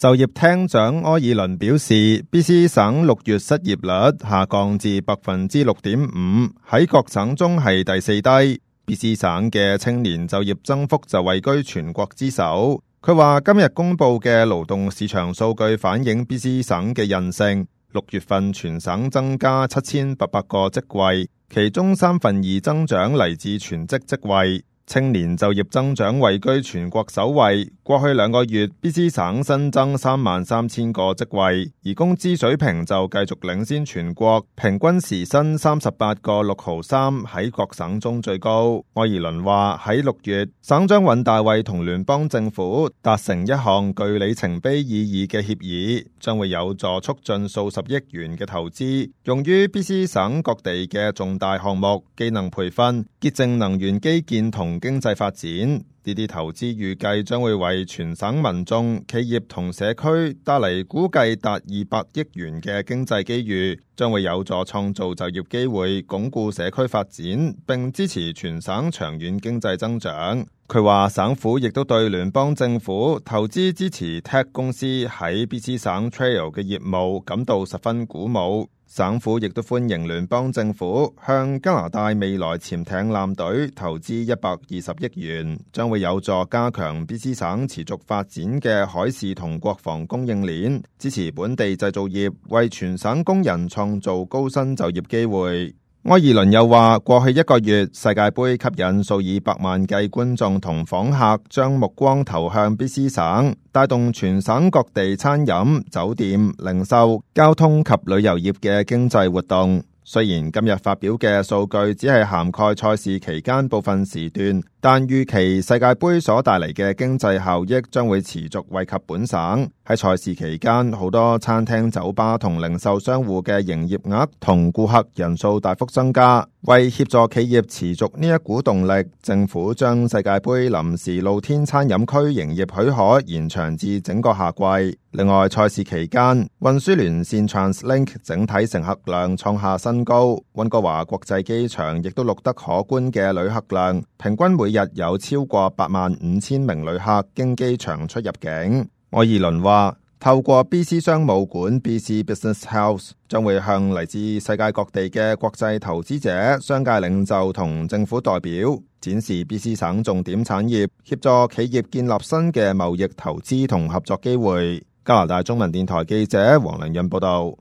就業廳長柯爾倫表示 ，BC 省6月失業率下降至 6.5%， 喺各省中係第4低。BC 省嘅青年就業增幅就位居全國之首。佢話今日公布嘅勞動市場數據反映 BC 省嘅韌性，6月份全省增加7800個職位，其中2/3增長嚟自全職職位。青年就業增長位居全國首位，過去2個月 BC 省新增33000個職位，而工資水平就繼續領先全國，平均時薪38個6毫3，喺各省中最高。柯爾倫話喺6月，省長尹大衛同聯邦政府達成一項具里程碑意義嘅協議，將會有助促進數十億元嘅投資，用於 BC 省各地嘅重大項目、技能培訓、潔淨能源基建同經濟發展。呢啲投資預計將會為全省民眾、企業同社區帶嚟估計達200億元嘅經濟機遇，將會有助創造就業機會，鞏固社區發展，並支持全省長遠經濟增長。佢話省府亦都對聯邦政府投資支持 Tech 公司喺 BC 省 Trail 嘅業務感到十分鼓舞。省府亦都歡迎聯邦政府向加拿大未來潛艇艦隊投資120億元，將會有助加強 BC 省持續發展嘅海事同國防供應鏈，支持本地製造業，為全省工人創造高薪就業機會。柯爾倫又話，過去1個月，世界盃吸引數以百萬計觀眾同訪客將目光投向 BC 省，帶動全省各地餐飲、酒店、零售、交通及旅遊業嘅經濟活動。雖然今日發表嘅數據只係涵蓋賽事期間部分時段，但預期世界盃所帶嚟嘅經濟效益將會持續惠及本省。喺賽事期間，好多餐廳、酒吧同零售商戶嘅營業額同顧客人數大幅增加。為協助企業持續呢一股動力，政府將世界盃臨時露天餐飲區營業許可延長至整個夏季。另外，賽事期間，運輸連線 TransLink 整體乘客量創下新高，溫哥華國際機場亦都錄得可觀嘅旅客量，平均每日有超過85000名旅客經機場出入境。柯爾倫話，透過 BC 商務館 BC Business House 將會向嚟自世界各地嘅國際投資者、商界領袖同政府代表展示 BC 省重點產業，協助企業建立新嘅貿易投資同合作機會。加拿大中文電台記者黃良潤報道。